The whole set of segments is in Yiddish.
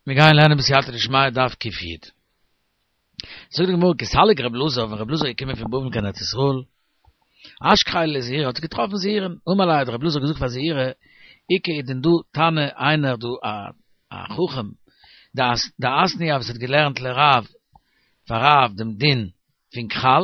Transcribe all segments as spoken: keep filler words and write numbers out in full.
מיר גייען לערנען בסייעתא דשמיא דף ק"י. זאגט די גמרא כי סליק רב אלעזר, ווען רב אלעזר איז געקומען פון בבל קיין ארץ ישראל, אשכחיה לזעירא, האט ער געטראפן זעירא, אמר ליה האט רב אלעזר געזאגט פאר זעירא, איכא איז דען דא תנא איינער דא א א חכם דאתנייה וואס האט געלערנט לרב פאר רב דעם דין פון כחל,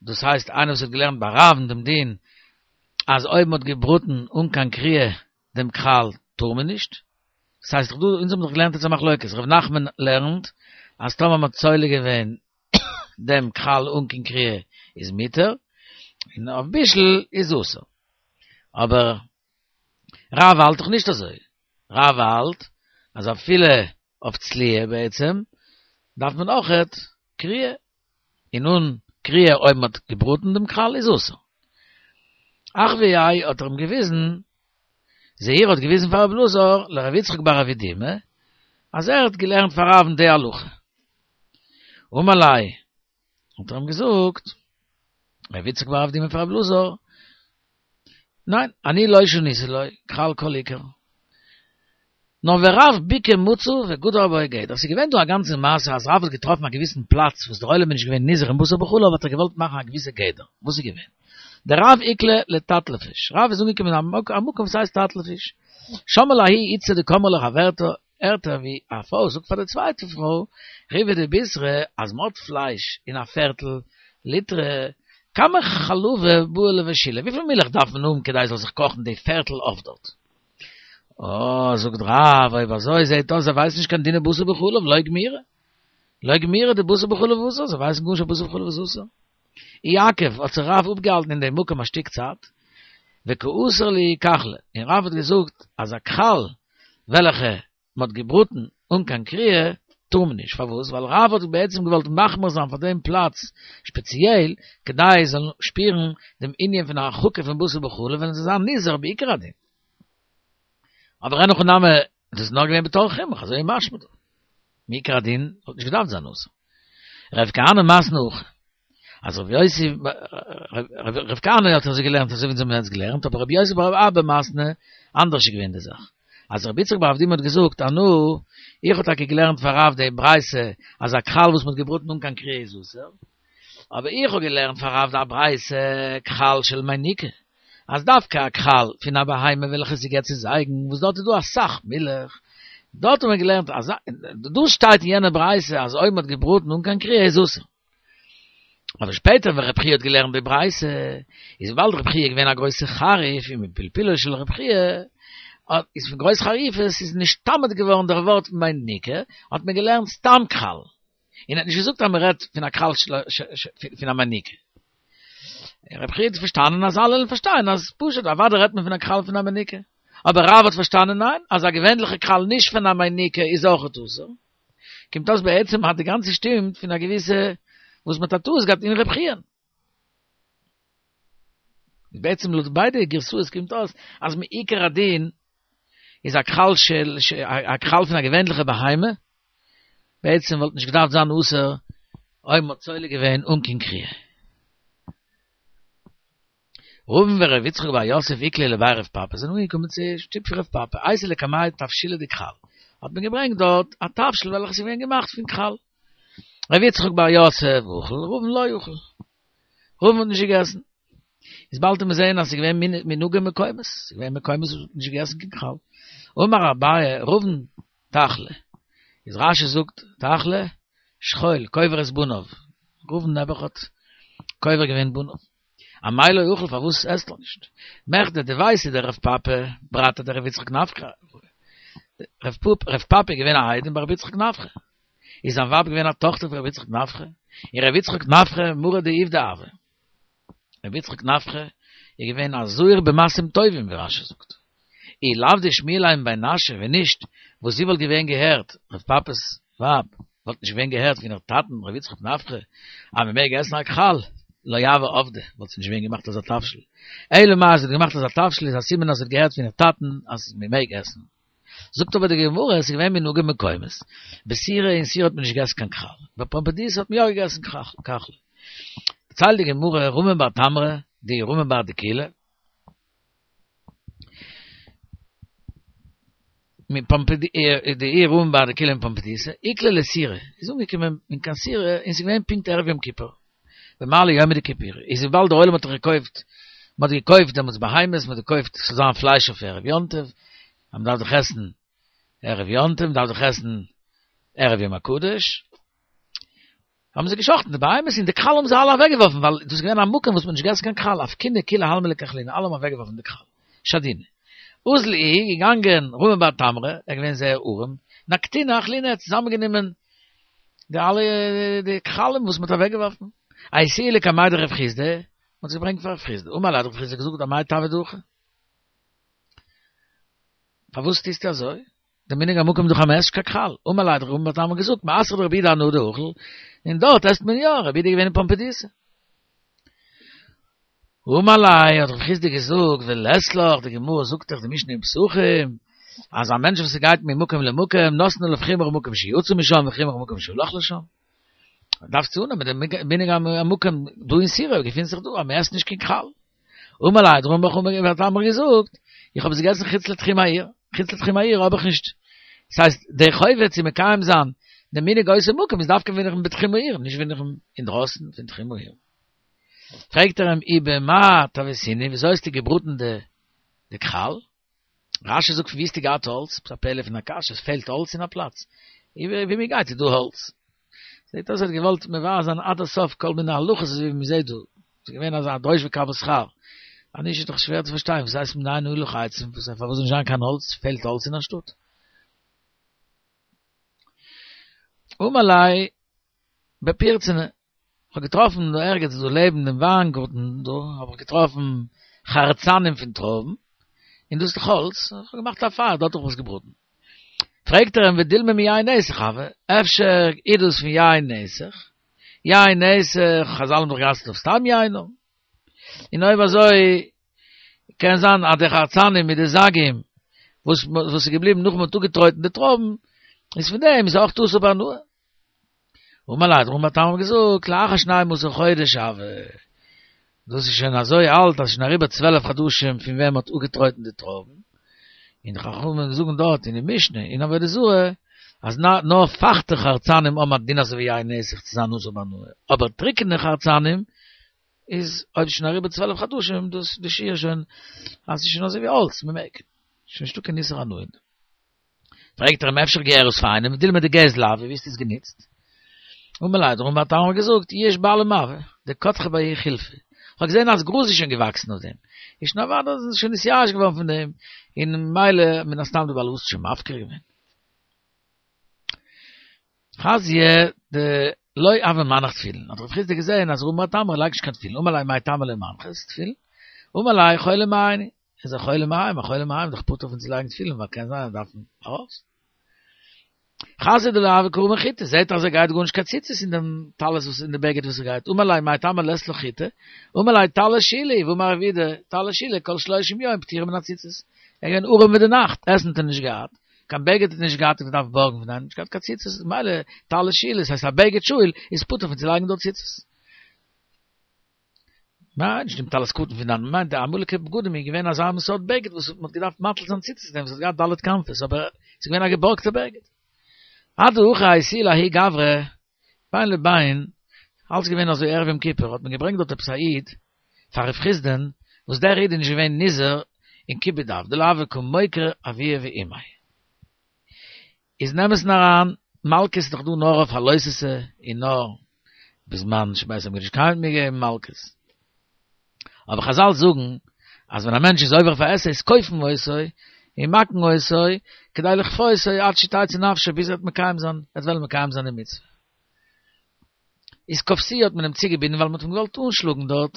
דאס הייסט איינער וואס האט געלערנט ביי רב'ן דעם דין אז אויב מען האט געבראטן אן קיין כריעה דעם כחל טאר מען נישט, דאס הייסט דאך דא, אונז האבן דאך געלערנט יעצט א מחלוקת, ר' נחמן לערנט אז טאמער מען האט צולה געווען דעם כחל אן קיין כריעה איז מותר, און אויף בישול איז אסור. אבער רב האלט דאך נישט אזוי, רב האלט אז אפילו אויף צליה בעצם דארף מען אויכעט כריעה, און אן כריעה אויב מען האט געבראטן דעם כחל איז אסור. אחוייה האט ער אים געוויזן, זעירא האט געוויזן פאר רב אלעזר לרב יצחק בר אבדימי, אז ער האט געלערנט פאר רב'ן די הלכה. אמר ליה, האט ער אים געזאגט, רב יצחק בר אבדימי פאר רב אלעזר, ניין, אני לא שניתי לו, כחל כל עיקר. נאר ורב בקעה מצא וגדר בה גדר. ס'איז געווען דא א גאנצע מעשה אז רב האט געטראפן א געוויסן פלאץ וואס דער עולם איז נישט געווען נזהר אין בשר בחלב האט ער געוואלט מאכן א געוויסע גדר. וואס איז געווען? דרב איקלע לתתלפיש. רב איז אנגעקומען אין א מקום וואס הייסט תתלפיש. שמעה לההיא איתתא דקאמרה לחברתה, הערט ער ווי א פרוי זאגט פאר די צווייטע פרוי, ריבעא דבישרא, אז מ'האט פלייש אין א פערטל ליטרא, כמה חלבא בעי לבשוליה, וויפיל מילך דארף מען האבן כדי ס'זאל זיך קאכן די פערטל עוף דארט? אה, זאגט רב, אויב אזוי זעהט אויס זיי ווייסן נישט קיין דיני בשר בחלב, לא גמירי. לא גמירי דבשר בחלב אסור, זיי ווייסן גארנישט אז בשר בחלב איז אסור. איעכב, האט זיך רב אפגעהאלטן אין דעם מקום א שטיק צייט, וקא אסר להו כחלא, און רב האט געזאגט אז א כחל וועלכע מען האט געבראטן אן קיין כריעה טאר מען נישט, פארוואס? ווייל רב האט בעצם געוואלט מחמיר זיין פאר דעם פלאץ שפעציעל כדי זיי זאלן שפירן דעם ענין פון הרחקה פון בשר בחלב וועלן זיי זיין נזהר בעיקר הדין. אבער אין הכי נמי, דאס איז נאר געווען בתוך חינוך, אזוי איז משמע דא. מעיקר הדין וואלט נישט געדארפט זיין אסור. רב כהנא מתני הכי. אז רב יוסי, רב כהנא האט אזוי געלערנט אזוי ווי אונז האבן יעצט געלערנט, אבער רב יוסי בר אבא מתני, אנדערש איז געווען די זאך. אז רב יצחק בר אבדימי האט געזאגט, אנא, איך האב טאקע געלערנט פאר רב די ברייתא אז א כחל וואס מ'האט געבראטן אן קיין כריעה איז אסור, אבער איך האב געלערנט פאר רב די ברייתא כחל של מניקה, אז דווקא א כחל פון א בהמה וועלכע ס'געט צו זייגן, וואס דארט איז דא אסאך מילך, דארט האט מען געלערנט אז דאס שטייט אין יענע ברייתא אז אויב מ'האט געבראטן אן קיין כריעה איז אסור. אבער שפעטער ווען רב חייא האט געלערנט די ברייתא, איז וויבאלד רב חייא איז געווען א גרויסע חריף און מפלפולו של רב חייא, איז פון גרויס חריפות איז נשתמט געווארן דער ווארט מניקה, האט מען געלערנט סתם כחל. און ער האט נישט געזאגט אז מען רעדט פון א כחל פון א מניקה. רב חייא האט פארשטאנען אז אלע וועלן פארשטיין אז פשוט אוודאי רעדט מען פון א כחל פון א מניקה. אבער רב האט פארשטאנען ניין, אז א געווענליכע כחל נישט פון א מניקה איז אויכעט אסור. קומט אויס בעצם אז די גאנצע שטימט פון א געוויסע וואס מען האט א טעות געהאט אין רב חייא. בעצם לויט ביידע גירסאות קומט אויס אז מעיקר הדין איז א כחל של א כחל פון א געווענליכע בהמה, בעצם וואלט נישט געדארפט זיין אסור אויב מ'האט צולה געווען אן קיין כריעה. רבין ור' יצחק בר יוסף איקלעו לבי רב פפא זענען אנגעקומען צו שטוב פון רב פפא אייתו לקמיה תבשילא דכחל האט מען געברענגט דארט א תבשיל וועלכע איז געווען געמאכט פון כחל. ר' יצחק בר יוסף אכל, רבין לא אכל. רבין האט נישט געגעסן. איז באלד וועט מען זעהן אז ס'איז געווען מנהגי מקומות, ס'איז געווען מקומות וואס מ'האט נישט געגעסן קיין כחל. אמר אביי, רבין תחלי, איז רש"י זאגט תחלי, שכול, קובר את בניו, רבין נעבעך האט קובר געווען בניו. אמאי לא אכיל פארוואס עסט ער נישט? מכדי דביתהו דרב פפא, ברתיה דרב יצחק נפחא, רב פפא איז געווען א איידעם ביי רב יצחק נפחא, איז זיין ווייב געווען א טאכטער פון רבי יצחק נפחא, און רבי יצחק נפחא מרא דעובדא הוה. רבי יצחק נפחא איז געווען א זהיר במעשים טובים ווי רש"י זאגט. אי לאו דשמיע ליה מבי נשא ווען נישט וואס זי וואלט געווען געהערט, רב פפא'ס ווייב, וואלט נישט געווען געהערט פון איר טאטן רבי יצחק נפחא אז מען מעג עסן א כחל, לא הוה עבדא, וואלט זי נישט געווען געמאכט אזא תבשיל. אלא מאי אז זי האט געמאכט אזא תבשיל איז א סימן אז זי האט געהערט פון איר טאטן אז מען מעג עסן. זאגט אבער די גמרא עס איז געווען מנהגי מקומות, בסורא אין סורא האט מען נישט געגעסן קיין כחל, בפומבדיתא האט מען יא געגעסן כחל. דערציילט די גמרא רמי בר תמרה, די רמי בר דקילא, דעיר רמי בר דקילא מפומבדיתא, איקלע לסורא, איז אנגעקומען אין קיין סורא און ס'איז געווען פונקט ערב יום כיפור, במעלי יומא דכיפורי, איז וויבאלד דער עולם האט דאך געקויפט, מ'האט געקויפט דעמאלטס בהמות, מ'האט געקויפט ס'זאל זיין פלייש אויף ערב יום טוב, אז מ'דארף דאך עסן ערב יום טוב, מ'דארף דאך עסן ערב יום הקדוש, האבן זיי געשחט'ן די בהמות און די כחל האבן זיי אלע אוועקגעווארפן, ווייל דאס איז געווען א מקום וואס מ'האט נישט געגעסן קיין כחל, אפקינהו כולי עלמא לכחלינהו, אלע האבן אוועקגעווארפן די כחל. שדינהו. אזל איהו, געגאנגען רמי בר תמרה, ער איז געווען זייער ארעם, נקטינהו אכלינהו, ער האט צוזאמענגענומען די אלע די כחלים וואס מ'האט אוועקגעווארפן, אייתוהו לקמיה דרב חסדא, מ'האט עס געברענגט פאר רב חסדא, אמר ליה האט רב חסדא געזאגט אמאי תעביד הכי? פארוואס טוסטו אזוי? דער מנהג המקום איז דאך אז מ'עסט נישט קיין כחל, אמר ליה האט רמי בר תמרה געזאגט, מאתרא דרבי יהודה אנא דאכיל, און דארט עסט מען יא, רבי יהודה איז געווען אין פומבדיתא. אמר ליה האט רב חסדא געזאגט, ולית לך, די גמרא זאגט דאך די משנה אין פסחים, אז א מענטש וואס גייט ממקום למקום, נותנין עליו חומרא מקום שיצא משם וחומרא מקום שהלך לשם. דארפסטו אננעמען דעם מנהג המקום דא אין סורא געפינט זיך דא אז מען עסט נישט קיין כחל. אמר ליה האט רמי בר תמרה געזאגט, איך האב עס געגעסן חוץ לתחום העיר, חוץ לתחום העיר האב איך נישט, דאס הייסט די חובה צו מקיים זיין דעם מנהג אותו מקום איז דווקא ווען איך בין בתחום העיר, נישט ווען איך בין אינדרויסן פון תחום העיר. פרעגט ער אים ובמה טויתינהו, וויאזוי האסטו געבראטן די כחל? רשי זאגט פון ווי האסטו געהאט האלץ? עפעס א פלא פון א קשיא, עס פעלט האלץ אין א פלאץ? ווי מען גייט איז דא האלץ. זעט אויס ער האט געוואלט מבאר זיין עד הסוף כל מיני הלכות אזוי ווי מען זעט דא. ס'איז געווען אזא דרוש וקבל שכר. אז נישט איז דאך שווער צו פארשטיין וואס הייסט מנין היו לך עצים, פארוואס זאל נישט זיין קיין האלץ, פעלט האלץ אין א שטאט? אמר ליה בפירצנא, כ'האב געטראפן דא ערגעץ דא לעבן דעם וויינגארטן דא האב איך געטראפן חרצנים פון טרויבן, און דאס איז דאך האלץ, איך האב געמאכט א פייער דארט האב איך עס געבראטן. פרעגט ער אים ודילמא מיין נסך הוי, אפשר איז דאס פון יין נסך? יין נסך, חזל האבן דאך גע'אסר'ט אויף סתם יין. און אויב אזוי קען זיין אז די חרצנים מיט די זגים וואס וואס איז געבליבן נאך מ'האט אפגעטרויטן די טרויבן, איז פון דעם איז אויך אסור בהנאה. אמר ליה האט רמי בר תמרה געזאגט, לאחר שנים עשר חודש הוי, דאס איז שוין אזוי אלט אז ס'איז שוין אריבער צוועלף חדשים פון ווען מ'האט אפגעטרויטן די טרויבן, און די חכמים זאגן דארט אין די משנה אין עבודה זרה אז נאר פייכטע חרצנים האבן א דין אזוי ווי יין נסך צו זיין אסור בהנאה, אבער טריקענע חרצנים איז אויב ס'איז שוין אריבער צוועלף חדשים דאס די שיעור שוין אז ס'איז שוין אזוי ווי האלץ מ'מעג, שוין נישטא קיין איסור הנאה אין דעם. פרעגט ער אים אפשר גערות פאר איינעם, דילמא דגזל הוי, ווי האסטו עס גענוצט? אמר ליה האט רמי בר תמרה געזאגט, יאוש בעלים הוה, דקדחי בהו חילפא, כ'האב געזען אז גראז איז שוין געוואקסן אויף דעם, איז שוין אוודאי איז עס שוין נתייאש געווארן פון דעם, און ממילא מן הסתם די בעל הבית האט שוין מפקיר געווען. חזייה דלא הוה מנח תפילין, האט רב חסדא געזען אז רמי בר תמרה לייגט נישט קיין תפילין, אמר ליה מאי טעמא לא מנחת תפילין? אמר ליה חולי מעיים אני, איז א חולי מעיים, א חולי מעיים איז דאך פטור פון צו לייגן תפילין ווייל קען זיין ער דארף ארויס. חזייה דלא הוה קרמי חוטי, זעט ער אז ער גייט גארנישט קיין ציצית אין דעם טלית וואס אין די בגד וואס ער גייט, אמר ליה מאי טעמא לית לך חוטי, אמר ליה טלית שאולה היא, והאמר רב יהודה, טלית שאולה כל שלושים יום פטורה מן הציצית. ער איז געווען ארעם ווי די נאכט, עסן האט ער נישט געהאט, קיין בגד האט ער נישט געהאט, ער האט געדארפט בארגן פון איינעם, נישט געהאט קיין ציצית, ממילא טלית שאולה, ס'הייסט א בגד שאול איז פטור פון צו לייגן דארט ציצית. ניין, נישט דעם טלית קטן פון דאן, מיינט די אמאליגע בגדים איז געווען אזא מין סארט בגד וואס מ'האט געדארפט מטיל זיין ציצית אין דעם, ס'האט געהאט ד' כנפות, אבער ס'איז געווען א געבארגטע בגד. אדהכי אייתוה לההוא גברא, בין לבין, אלץ געווען אזוי ערב יום כיפור האט מען געברענגט דארט עפעס א איד פאר רב חסדא'ן, וואס דער איד איז נישט געווען נזהר אין כיבוד אב, דלא הוה קא מוקיר אבוה ואמיה. איז אין אמת'ן אריין, מלקות איז דאך דא נאר אויף א לא תעשה און נאר בזמן שבית המקדש קיים האט מען געגעבן מלקות. אבער חזל זאגן אז ווען א מענטש איז עובר אויף א עשה איז כופין אותו און מכין אותו כדי לכפותו עד שתצא נפשו ביז ער וועט מקיים זיין, ער וועט וועלן מקיים זיין די מצוה. איז כפתוהו האט מען אים צוגעבינדן ווייל מען האט אים געוואלט אנשלאגן דארט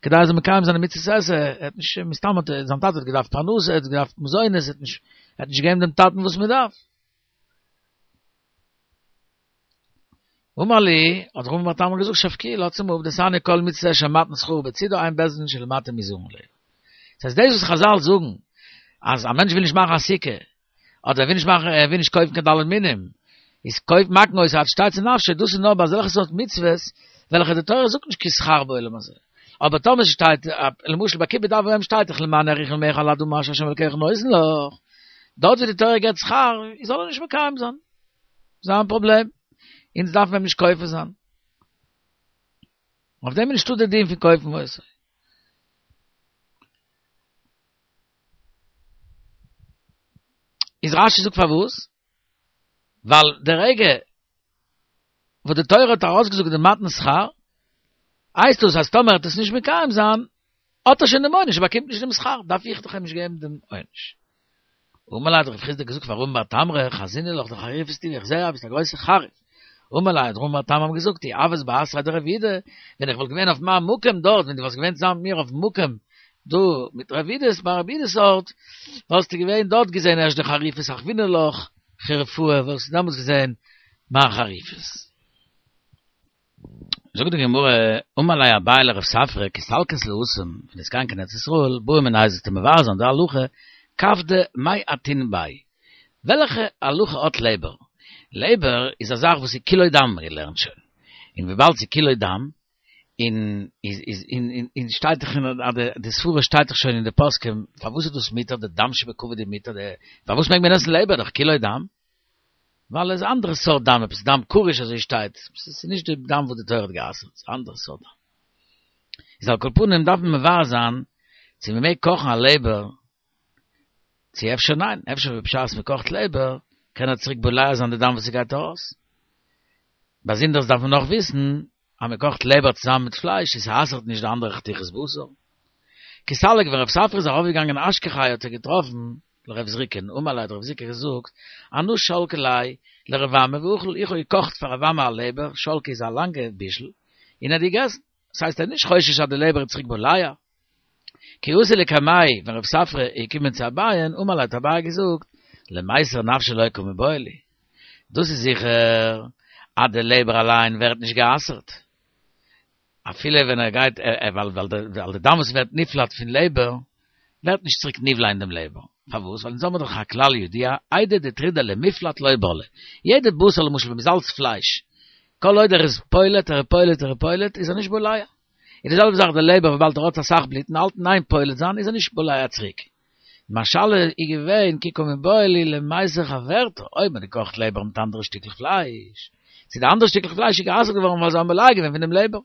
כדי ער זאל מקיים זיין די מצות עשה, ער האט נישט, מסתם האט ער, זיין טאטע האט געדארפט פרנסה, ער האט געדארפט מזונות, ער האט נישט, ער האט נישט געגעבן דעם טאטן וואס מען דארף. אמר להו, האט רמי בר תמרה געזאגט שבקוהו לאזטס אים אפ דתניא כל מצות עשה של מתן שכרה בצידה אין בית דין של מטה מוזהרין עליה. דאס הייסט דאס וואס חזל זאגן אז א מענטש וויל נישט מאכן א סוכה אדער ער וויל נישט מאכן ער וויל נישט קויפן קיין ד' מינים, איז כופין מכין אותו עד שתצא נפשו, דאס איז נאר ביי אזעלכע סארט מצוות וועלכע די תורה זאגט נישט קיין שכר בעולם הזה. אבער טאמער ס'שטייט, למשל ביי כיבוד אב ואם שטייט דאך למען יאריכון ימיך על האדמה אשר ה' אלקיך נותן לך, דארט ווי די תורה געבט שכר, זאל ער נישט מקיים זיין. זיין פראבלעם. אונז דארף מען אים נישט כופה זיין. אויף דעם איז נישטא די דין פון כופין אותו. איז רשי זאגט פארוואס? ווייל די רגע וואס די תורה האט ארויסגעזאגט די מתן שכר, הייסט דאס אז טאמער ער וועט עס נישט מקיים זיין, האט ער שוין דעם עונש, ער באקומט נישט דעם שכר, דארף איך דאך אים נישט געבן דעם עונש. אמר ליה האט רב חסדא געזאגט פאר רמי בר תמרה, חזינא לך דחריפת טבא, איך זע אז ביסט א גרויסע חריף. אמר ליה האט רמי בר תמרה געזאגט, אי הוית באתריה דרב יהודה, ווען איך וואלט געווען אויף מיין מקום דארט, ווען דו וואלסט געווען צוזאמען מיט מיר אויפן מקום דא מיט רב יהודה'ס ביי רב יהודה'ס ארט, וואלסטו געווען דארט געזען ערשט די חריפות אחוינא לך חריפאי, וואלסטו דעמאלטס געזען מיין חריפות. זאגט די גמרא, אמר ליה אביי לרב ספרא כי סלקת להתם, ווען דו'סט גיין קיין ארץ ישראל, בעי מיניה זאלסטו מברר זיין די הלכה, כבדא מאי אטין ביה, וועלכע הלכה האט לעבער? לעבער איז א זאך וואס איז כולו דם, מ'האט געלערנט שוין, און וויבאלד ס'איז כולו דם, און איז איז און און שטייט דאך אין די די סברה שטייט דאך שוין אין די פוסקים, פארוואס איז דאס מותר די דם שבכבד איז מותר די פארוואס מעג מען עסן לעבער דאך כולו דם? ווייל עס איז אנדערע סארט דם, עפעס דם קרוש אזוי שטייט, עס איז נישט די דם וואס די תורה האט גע'אסר'ט, עס איז אנדערע סארט דם. איז על כל פנים דארף מען מברר זיין צו מען מעג קאכן א לעבער, צו אפשר ניין, אפשר בשעת מען קאכט לעבער קען ער צוריק בולע זיין די דם וואס ס'גייט ארויס. באזונדערס דארף מען נאך וויסן אז מען קאכט לעבער צוזאמען מיט פלייש עס אסר'ט נישט די אנדערע חתיכות בשר. כי סליק ווען רב ספרא איז ארויפגעגאנגען אשכחיה האט ער געטראפן לרב זריקא'ן, אמר ליה האט רב זריקא געזאגט, אנא שלקי ליה לרב אמי ואכיל, איך האב געקאכט פאר רב אמי א לעבער, שלקי איז א לאנגע בישל, און ער האט געגעסן, דאס הייסט ער איז נישט חושש אז די לעבער איז צוריק בולע. כי אתא לקמיה, ווען רב ספרא איז געקומען צו אביי'ן, אמר ליה האט אביי געזאגט, למיסר נפשיה לא קא מיבעיא לי. דאס איז זיכער אז די לעבער אליין ווערט נישט גע'אסר'ט, אפילו ווען ער גייט, ווייל ווייל די דם וואס ווערט נפלט פון לעבער, ווערט נישט צוריק נבלע אין דעם לעבער. פארוואס? ווייל אונז האבן דאך א כלל ידוע, איידי דטרידא למיפלט לא בלעי. יעדע בשר למשל ווען מ'זאלצט פלייש, כל עוד ער איז פולט, ער איז פולט, ער איז פולט, איז ער נישט בולע. און די זעלבע זאך די לעבער וויבאלד ער האט אסאך בלוט און האלט אין איין פולט זיין איז ער נישט בולע צוריק. מיין שאלה איז געווען כי קא מיבעיא לי למיסר חברתה, אויב מ'האט געקאכט לעבער מיט אנדערע שטיקלעך פלייש, צו די אנדערע שטיקלעך פלייש איז גע'אסר'ט געווארן ווייל זיי האבן בולע געווען פון דעם לעבער.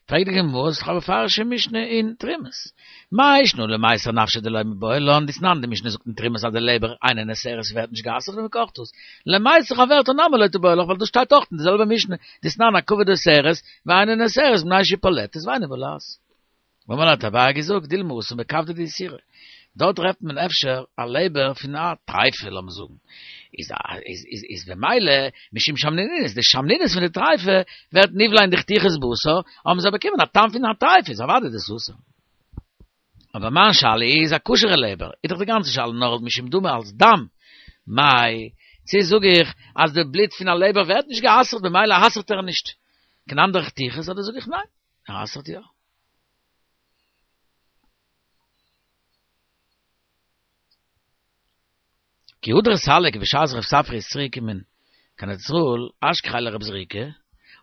פרעגט די גמרא, ס'איז דאך א מפורש'ע משנה אין תרומות. מאי שנא למיסר נפשיה דלא מיבעיא לן, דתנן, די משנה זאגט אין תרומות אז די לעבער אינה נאסרת ווערט נישט גע'אסר'ט ווען מ'קאכט עס. למיסר חברתה נמי לא תיבעי לך ווייל דאס שטייט אויך אין די זעלבע משנה, דתנן הכבד אוסרת ואינה נאסרת מפני שהיא פולטת ואינה בולעת. אמר ליה האט אביי געזאגט, דילמא התם בכבדא דאיסורא. דארט טרעפט מען אפשר א לעבער פון א טרייפה לאמיר זאגן, איז איז איז איז במילא משום שמנונית, די שמנונית פון די טרייפה ווערט נבלע אין די חתיכות בשר, האבן זיי באקומען א טעם פון א טרייפה, איז אוודאי דאס אסור. אבער מיין שאלה איז א כשר'ע לעבער, איז דאך די גאנצע שאלה נאר משום דמא אלס דם, מאי, צו זאג איך אז די בלוט פון א לעבער ווערט נישט גע'אסר'ט במילא אסר'ט ער נישט קיין אנדערע חתיכות, אדער זאג איך ניין, ער אסר'ט יא. כי הדר סליק בשעת רב ספרא איז צוריק געקומען קיין ארץ ישראל אשכחיה לרב זריקא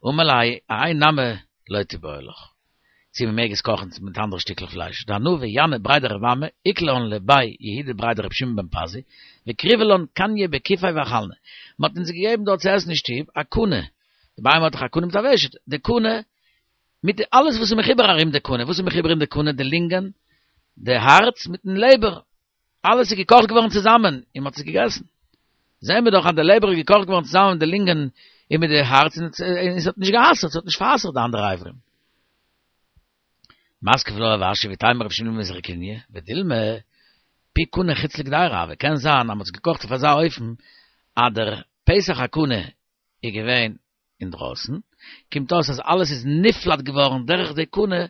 אמר ליה אהאי נמי לא תיבעי לך צו מען מעג עס קאכן מיט אנדערע שטיקלעך פלייש דאנא וינאי בריה דרב אמי איקלען לבי יהודה בריה דרבי שמעון בן פזי וקריבו לן קניא בכיפיה ואכלנא מען האט אונז געגעבן דארט צו עסן אין שטוב א קנה די בהמה האט דאך א קנה מיט א ושט די קנה מיט די אלעס וואס איז מחובר ארום די קנה, וואס איז מחובר אין די קנה? די לונגען, די הארץ מיטן לעבער, אלעס איז געקאכט געווארן צוזאמען און מען האט עס געגעסן. זעען מיר דאך אז די לעבער איז געקאכט געווארן צוזאמען מיט די לונגען און מיט די הארץ און עס האט נישט גע'אסר'ט, עס האט נישט פאר'אסר'ט די אנדערע אברים. מתקיף לה רב אשי ואיתימא רבי שמעון מזרקיניא, ודילמא פי קנה חוץ לגדירה הוה, קען זיין אז מען האט עס געקאכט אויף אזא אופן אז דער פתח הקנה איז געווען אינדרויסן, קומט אויס אז אלעס איז נפלט געווארן דורך די קנה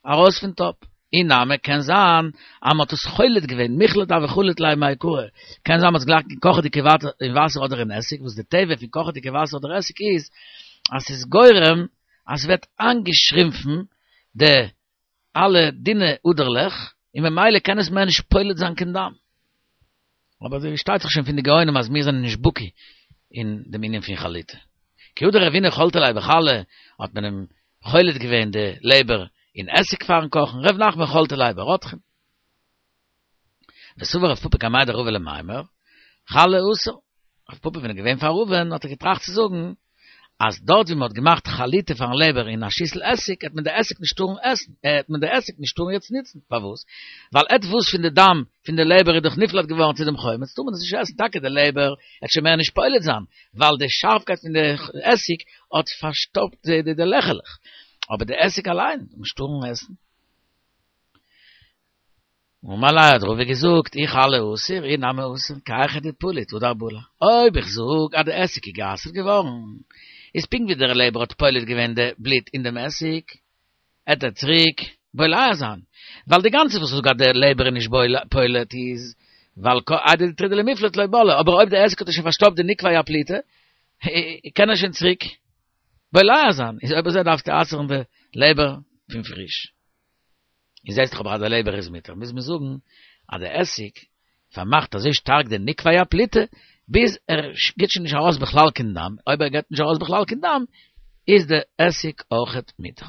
ארויס פון טאפ. אי נמי קען זיין אז מ'האט עס חולט געווען, מיחלט הוה חליט ליה מעיקרא, קען זיין מ'האט עס גלייך אין קאכעדיגע אין וואסער אדער אין עסיג, וואס די טבע פון קאכעדיגע וואסער אדער עסיג איז אז ס'איז גורם אז ס'ווערט איינגעשרימפן די אלע דינע אדערלעך, און ממילא קען עס מער נישט פולט זיין קיין דם. אבער דא שטייט זיך שוין פון די גאונים אז מיר זענען נישט בקי אין דעם ענין פון חליטה. כי הא דרבינא חלטה ליה בחלא, האט מען אים חולט געווען די לעבער אין עסיג פארן קאכן, ר' נחמן חלטה ליה ברותחין. וסבר רב פפא קמיה דרבא למימר, חלה אסור. רב פפא ווען ער געווען פאר רבא'ן האט ער געטראכט צו זאגן אז דארט ווי מען האט געמאכט חליטה פארן לעבער אין א שיסל עסיג העט מען די עסיג נישט טארן עסן, העט מען די עסיג נישט טארן יעצט ניצן, פארוואס? ווייל עטוואס פון די דם פון די לעבער איז דאך נפלט געווארן צו דעם חומץ, טאר מען עס נישט עסן, טאקע די לעבער העט שוין מער נישט פולט זיין, ווייל די שארפקייט פון די עסיג האט פארשטאפט די לעכעלעך, אבער די עסיג אליין זאל מען נישט טארן עסן. אמר ליה האט רבא געזאגט, אי חלה אסור, אי נמי אסור, כי היכי דפליט הדר בלע. אויב איך זאג אז די עסיג איז גע'אסר'ט געווארן, איז פונקט ווי דער לעבער האט פולט געווען די בלוט אין דעם עסיג, עט ער צוריק בולע זיין, ווייל די גאנצע וואס איך זאג אז דער לעבער איז נישט פולט איז ווייל איידי דטרידא למיפלט לא בלע, אבער אויב די עסיג האט ער שוין פארשטאפט די נקבי הפליטה, קען ער שוין צוריק בולע זיין, איז אויב אזוי דארפסטו אסר'ן די לעבער פון פריש. און זעסט דאך אבער אז די לעבער איז מותר, מוז מען זאגן אז די עסיג פארמאכט אזוי שטארק די נקבי הפליטה, ביז ער גיבט שוין נישט ארויס בכלל קיין דם, אויב ער גיבט נישט ארויס בכלל קיין דם, איז די עסיג אויכעט מותר.